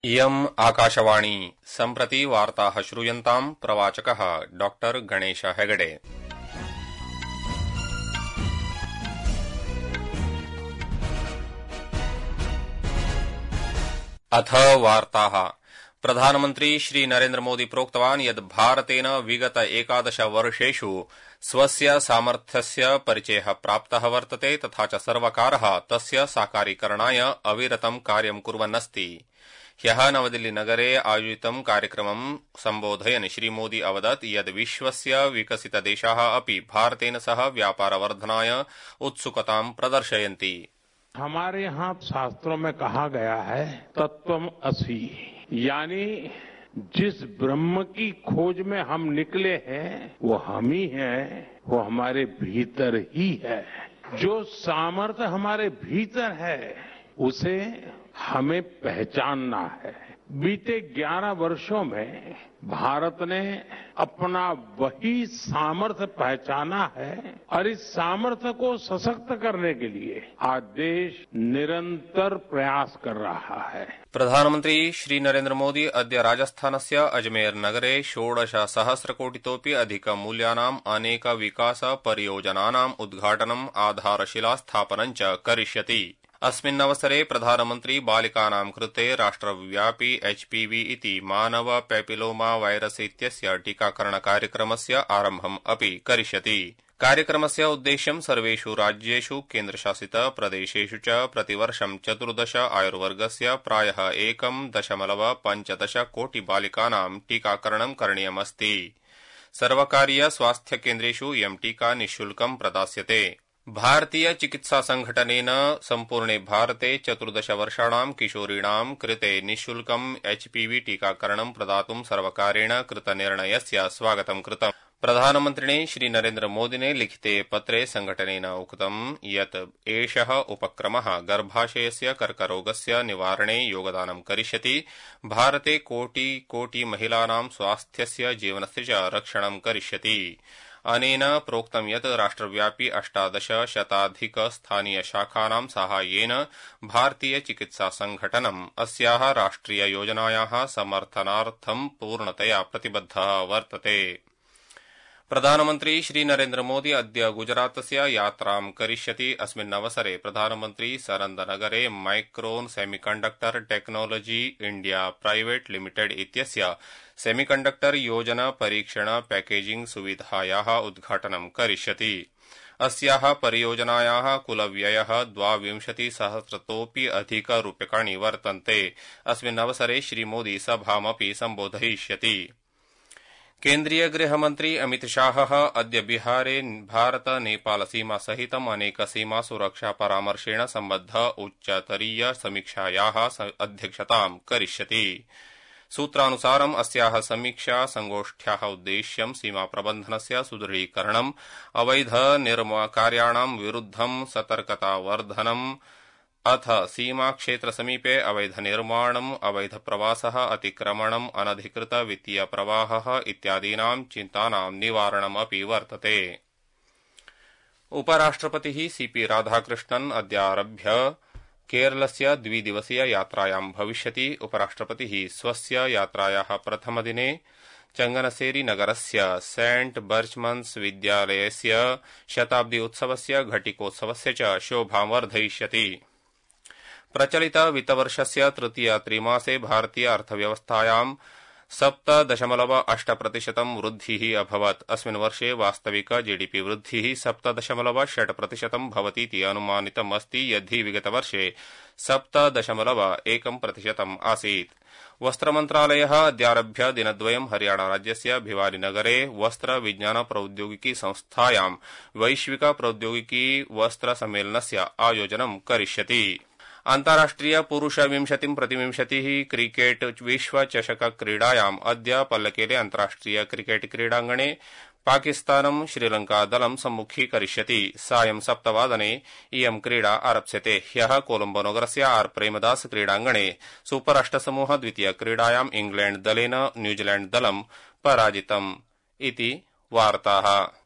इयम् आकाशवाणी सम्प्रति वार्ताः श्रूयन्ताम् प्रवाचकः डॉक्टर गणेश हेगडे। अथ वार्ताः। प्रधानमन्त्री श्री नरेन्द्र मोदी प्रोक्तवान् यत् भारतेन विगत 11 वर्षेषु स्वस्य सामर्थ्यस्य परिचयः प्राप्तः वर्तते तथा च सर्वकारः तस्य साकारीकरणाय अविरतं कार्यं कुर्वन्नस्ति। ह्यः नवदिल्लीनगरे आयोजितं कार्यक्रमं सम्बोधयन् श्रीमोदी अवदत् यत् विश्वस्य विकसितदेशाः अपि भारतेन सह व्यापारवर्धनाय उत्सुकतां प्रदर्शयन्ति। हमारे यहाँ शास्त्रों में कहा गया है तत्त्वमसि, यानी जिस ब्रह्म की खोज में हम निकले हैं वो हम ही हैं, वो हमारे भीतर ही है। जो सामर्थ्य हमारे भीतर है उसे हमें पहचानना है। बीते 11 वर्षों में भारत ने अपना वही सामर्थ्य पहचाना है और इस सामर्थ्य को सशक्त करने के लिए आज देश निरंतर प्रयास कर रहा है। प्रधानमन्त्री श्री नरेन्द्र मोदी अद्य राजस्थानस्य अजमेर नगरे 16,000,कोटितोऽपि अधिकमूल्यानाम् अनेक विकास परियोजनानाम् उद्घाटनम् आधारशिलास्थापनं च करिष्यति। अस्मिन्नवसरे प्रधानमन्त्री बालिकानां कृते राष्ट्रव्यापी HPV इति मानव पैपिलोमा वायरस् इत्यस्य टीकाकरणकार्यक्रमस्य आरम्भम् अपि करिष्यति। कार्यक्रमस्य उद्देश्यं सर्वेषु राज्येषु केन्द्रशासित प्रदेशेषु च प्रतिवर्षं 14 आयुर्वर्गस्य प्रायः 1.15 कोटि बालिकानां टीकाकरणं करणीयमस्ति। सर्वकारीय स्वास्थ्यकेन्द्रेषु इयं टीका निःशुल्कं प्रदास्यते। भारतीय चिकित्सा संघटनेन सम्पूर्णे भारते 14 वर्षाणां किशोरीणां कृते निःशुल्कं HPV टीकाकरणं प्रदातुं सर्वकारेण कृतनिर्णयस्य स्वागतं कृतम्। प्रधानमन्त्रिणे श्री नरेन्द्र मोदिने लिखिते पत्रे संघटनेन उक्तं यत् एषः उपक्रमः गर्भाशयस्य कर्करोगस्य निवारणे योगदानं करिष्यति, भारते कोटि महिलानां स्वास्थ्यस्य जीवनस्य च रक्षणं करिष्यति। अनेन प्रोक्तं यत् राष्ट्रव्यापी 18 स्थानीयशाखानां साहाय्येन भारतीय चिकित्सा संघटनम् अस्याः राष्ट्रिययोजनायाः समर्थनार्थं पूर्णतया प्रतिबद्धः वर्तते। प्रधानमन्त्री श्री नरेन्द्र मोदी अद्य गुजरातस्य यात्रां करिष्यति। अस्मिन्नवसरे प्रधानमन्त्री सरन्दनगरे Micron Semiconductor Technology India Private Limited इत्यस्य सेमीकण्डक्टर योजना परीक्षण पैकेजिंग सुविधायाः उद्घाटनं करिष्यति। अस्याः परियोजनायाः कुलव्ययः 22,000,000तोऽपि अधिकरूप्यकाणि वर्तन्ते। अस्मिन्नवसरे श्रीमोदी सभामपि सम्बोधयिष्यति। केन्द्रीय गृहमन्त्री अमित शाहः अद्य बिहारे भारत नेपाल सीमा सहितम् अनेक सीमा सुरक्षा परामर्शेण सम्बद्ध उच्चतरीय समीक्षायाः अध्यक्षतां करिष्यति। सूत्रानुसारम् अस्याः समीक्षा संगोष्ठ्याः उद्देश्यं सीमा प्रबन्धनस्य सुदृढीकरणम्, अवैध निर्माणकार्याणां विरुद्धं सतर्कतावर्धनम् अथ सीमाक्षेत्रसमीपे अवैधनिर्माणम्, अवैधप्रवासः, अतिक्रमणम्, अनधिकृत वित्तीयप्रवाहः इत्यादीनां चिन्तानां निवारणमपि वर्तते। उपराष्ट्रपतिः CP राधाकृष्णन् अद्यारभ्य केरलस्य 2-दिवसीय यात्रायां भविष्यति। उपराष्ट्रपतिः स्वस्य यात्रायाः प्रथमदिने चंगनसेरी नगरस्य सेंट बर्चमन्स् विद्यालयस्य शताब्दी उत्सवस्य घटिकोत्सवस्य च शोभां वर्धयिष्यति। प्रचलित वित्तवर्षस्य तृतीय त्रैमासे भारतीय अर्थव्यवस्थायां 7.8% वृद्धिः अभवत्। अस्मिन् वर्षे वास्तविक GDP वृद्धिः 7.6% भवतीति अनुमानितमस्ति, यद्धि विगतवर्षे 7.1% आसीत्। वस्त्रमन्त्रालयः अद्यारभ्य दिनद्वयं हरियाणाराज्यस्य भिवानीनगरे वस्त्र विज्ञान प्रौद्योगिकी संस्थायां वैश्विक प्रौद्योगिकी वस्त्र सम्मेलनस्य आयोजनं करिष्यति। अन्ताराष्ट्रिय पुरुष 20-प्रतिविंशतिः क्रिकेट विश्वचषक क्रीडायाम् अद्य पल्लकेले अन्ताराष्ट्रिय क्रिकेट क्रीडाङ्गणे पाकिस्तानं श्रीलंकादलं सम्मुखीकरिष्यति। सायं 7:00 इयं क्रीडा आरप्स्यते। ह्यः कोलम्बोनगरस्य आर प्रेमदास क्रीडाङ्गणे सुपर 8 समूह द्वितीयक्रीडायाम् इंग्लैण्ड दलेन न्यूजीलैण्ड दलं पराजितम् इति वार्ताः।